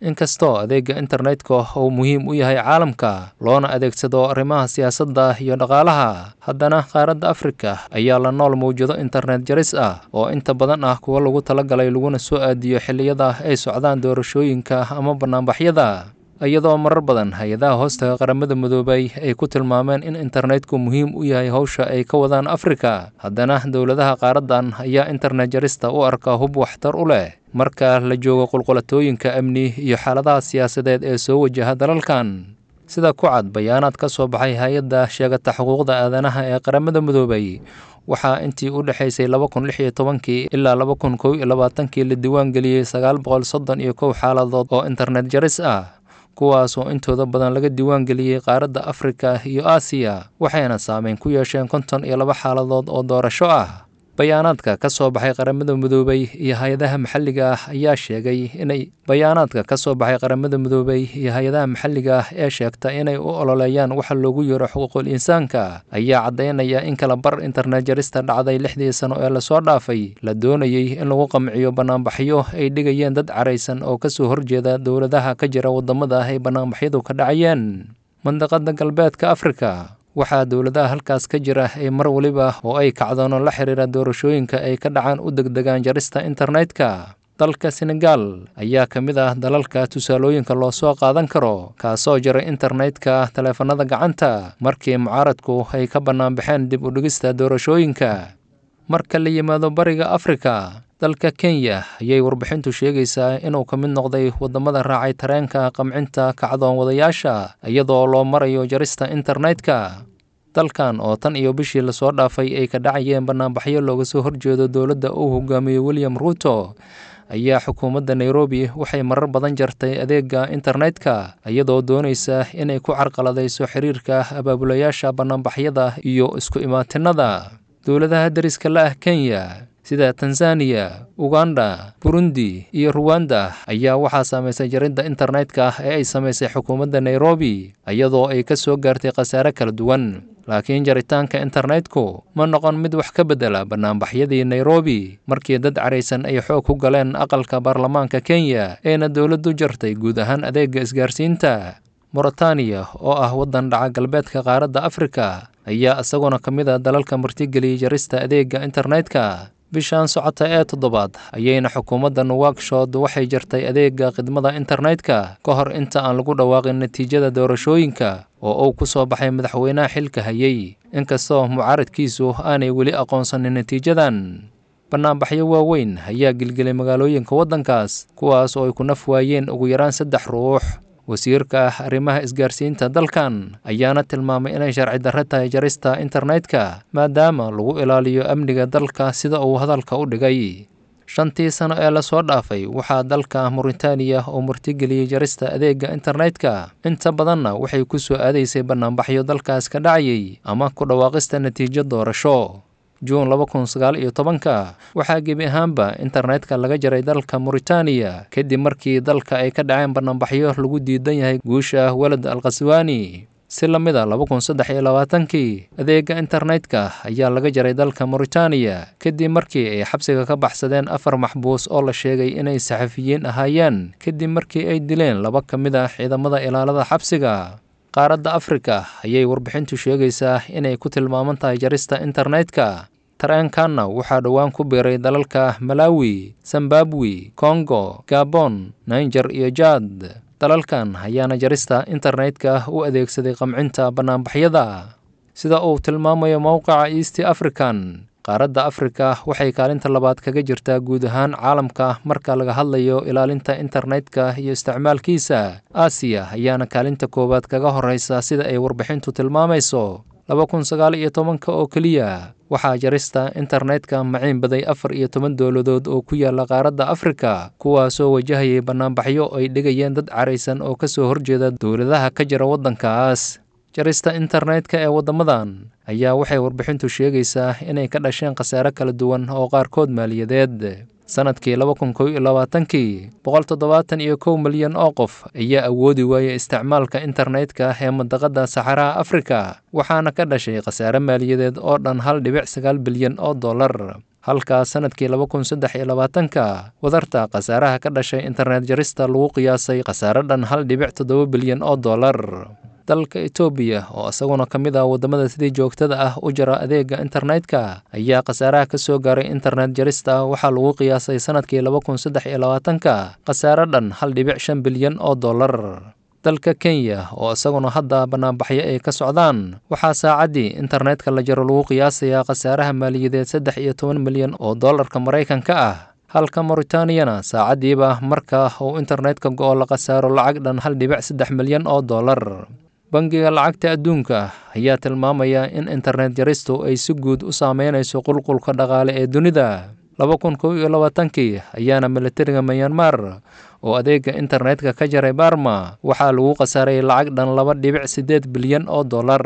Inkastoo adeega internetka uu muhiim u yahay caalamka, loona adeegsado arrimaha siyaasadda iyo dhaqaalaha, haddana qaaradda Afrika ayaa la nool mawjado internet jaris ah oo inta badan ah kuwa lagu talagalay laguna soo aadiyo xilliyada ay socdaan doorashooyinka ama banaanbaxyada, iyadoo marar badan hay-adaha hoostaga Qaramada Midoobay ay ku tilmaameen in internetku muhiim u yahay howsha ay ka wadaan Afrika. Haddana dowladaha qaaraddan ayaa internet jarista u arka hub waxtar u leh marka la joogo qulqulatooyinka amni iyo xaaladaha siyaasadeed ee soo wajaha dalalkan. Sida ku cad bayaanaad ka soo baxay hay-adda sheegata xuquuqda aadanaha ee Qaramada Midoobay, waxaa intii u dhexaysay 2016-kii ilaa 2021-kii la diiwaan geliyey 931 xaaladood oo internet jaris ah, kuwaas oo intooda badan laga diiwaan geliyey qaaradda Afrika iyo Aasiya, waxayna saameyn ku yeesheen 52 xaaladood oo doorasho ah. Bayaanaadka ka soo baxay Qaramada Midoobay iyo hay-adaha maxalliga ah ayaa sheegay inay bayaanaadka ka soo baxay Qaramada Midoobay iyo hay-adaha maxalliga ah ee sheegta inay u ololeeyaan waxa loogu yeero xuquuqul insaanka ayaa caddaynaya in kala bar internet jarista dhacday 6dii sano ee lasoo dhaafay la doonayey in lagu qamciyo banaanbaxyo ay dhigayeen dad caraysan oo kasoo horjeeda dowladaha ka jira waddamada ay banaanbaxyadu ka dhacayeen. Mandaqada Galbeedka Afrika, waxaa dowladaha halkaas ka jira ay mar waliba oo ay kacdoono la xiriira doorashooyinka ay ka dhacaan u degdegaan jarista internetka. Dalka Senegal ayaa ka mid ah dalalka tusaalooyinka loo soo qaadan karo, kaasoo jaray internetka taleefanada gacanta markii mucaaradku ay ka bannaan baxeen dib u dhigista doorashooyinka. Marka la yimaado Bariga Afrika, dalka Kenya ayay warbixintu sheegaysaa inuu ka mid noqday waddamada raacay tareenka qamcinta kacdoon wadayaasha iyadoo loo marayo jarista internetka. Dalkan oo tan iyo bishii lasoo dhaafay ay ka dhacayeen banaanbaxyo looga soo horjeedo dowladda uu hogaamiyo William Ruto, ayaa xukuumadda Nairobi waxay marar badan jartay adeega internetka iyadoo doonaysa inay ku carqaladayso xiriirka abaabulayaasha banaanbaxyada iyo isku imaatinada. Dowladaha deriska la ah Kenya sida Tanzaniya, Uganda, Burundi iyo Ruwanda ayaa waxaa saamaysay jaridda internetka ee ay samaysay xukuumadda Nairobi, iyadoo ay ka soo gaartay khasaare kala duwan. Laakiin jaritaanka internetku ma noqon mid wax ka beddela banaanbaxyadii Nairobi markii dad caraysan ay xoog ku galeen aqalka baarlamaanka Kenya, eena dowladdu jartay guud ahaan adeega isgaarsiinta. Mauritaniya oo ah waddan dhaca galbeedka qaaradda Afrika ayaa isaguna ka mid ah dalalka martigeliyey jarista adeega internetka. Bishan socota ee toddobaad ayayna xukuumadda Nuwakshod waxay jartay adeega khidmada internetka ka hor inta aan lagu dhawaaqin natiijada doorashooyinka oo uu ku soo baxay madaxweynaha xilka hayay, inkastoo mucaaradkiisu aanay weli aqoonsanin natiijadan. Banaanbaxyo waaweyn ayaa gilgilay magaalooyinka waddankaas, kuwaas oo ay ku naf waayeen ugu yaraan 3 ruux. Wasiirka arrimaha isgaarsiinta dalkan ayaana tilmaamay inay sharci darre tahay jarista internetka maadaama lagu ilaaliyo amniga dalka, sida uu hadalka u dhigay. 5tii sano ee lasoo dhaafay waxaa dalka Mauritaniya oo martigeliyey jarista adeega internetka, inta badanna waxay ku soo aadaysay banaanbaxyo dalkaas ka dhacayay ama ku dhawaaqista natiijo doorasho. Juun 2019-ka waxaa gebi ahaanba internetka laga jaray dalka Mauritaniya kadib markii dalka ay ka dhaceen banaanbaxyo lagu diidan yahay guusha Walad Al Khaswaani. Si la mid a 2023-kii adeega internetka ayaa laga jaray dalka Mauritaniya kadib markii ay xabsiga ka baxsadeen 4 maxbuus oo la sheegay inay saxafiyiin ahaayeen, kadib markii ay dileen 2 ka mid ah ciidamada ilaalada xabsiga. Qaaradda Afrika ayay warbixintu sheegaysaa inay ku tilmaaman tahay jarista internetka. Tareenkanna waxaa dhowaan ku biiray dalalka Malawi, Zimbabwe, Congo, Gabon, Niger iyo Jad. Dalalkan ayaana jarista internetka u adeegsaday qamcinta banaanbaxyada. Sida uu tilmaamayo mowqaca East African, qaaradda Afrika waxay kaalinta labaad kaga jirtaa guud ahaan caalamka marka laga hadlayo ilaalinta internetka iyo isticmaalkiisa. Aasiya ayaana kaalinta koowaad kaga horeysa, sida ay warbixintu tilmaamayso. 2019-ka oo keliya waxaa jarista internetka maciin baday 14 dowladood oo ku yaala qaaradda Afrika, kuwaasoo wajahayay banaanbaxyo ay dhigayeen dad caraysan oo kasoo horjeeda dowladaha ka jira waddankaas. Jarista internetka ee waddamadan ayaa waxay warbixintu sheegaysaa inay ka dhasheen khasaare kala duwan oo qaarkood maaliyadeed. Sanadkii 2021-kii 171 milyan oo qof ayaa awoodi waayay isticmaalka internetka ee mandaqada saxaraha Afrika, waxaana ka dhashay khasaare maaliyadeed oo dhan 1.9 bilyan oo dollar. Halka sanadkii 2023-ka wadarta khasaaraha ka dhashay internet jarista lagu qiyaasay khasaare dhan 1.7 bilyan oo dollar. Dalka Itoobiya, oo isaguna ka mid ah waddamada sidii joogtada ah u jara adeega internetka, ayaa khasaaraha ka soo gaaray internet jarista waxaa lagu qiyaasay sanadkii 2023-ka khasaare dhan 1.5 bilyan oo dollar. Dalka Kenya, oo isaguna hadda banaanbaxyo ay ka socdaan, waxaa saacaddii internetka la jaro lagu qiyaasayaa khasaaraha maaliyadeed 13 milyan oo dollarka Maraykanka ah, halka Mauritaniana saacaddiiba marka uu internetka go'o la khasaaro lacag dhan 1.3 milyan oo dollar. Bangiga Lacagta Adduunka ayaa tilmaamaya in internet jaristu ay si guud u saameynayso qulqulka dhaqaale ee dunida. 2021-kii ayaana militariga Myanmar oo adeega internetka ka jaray Barma waxaa lagu khasaaray lacag dhan 2.8 bilyan oo dollar.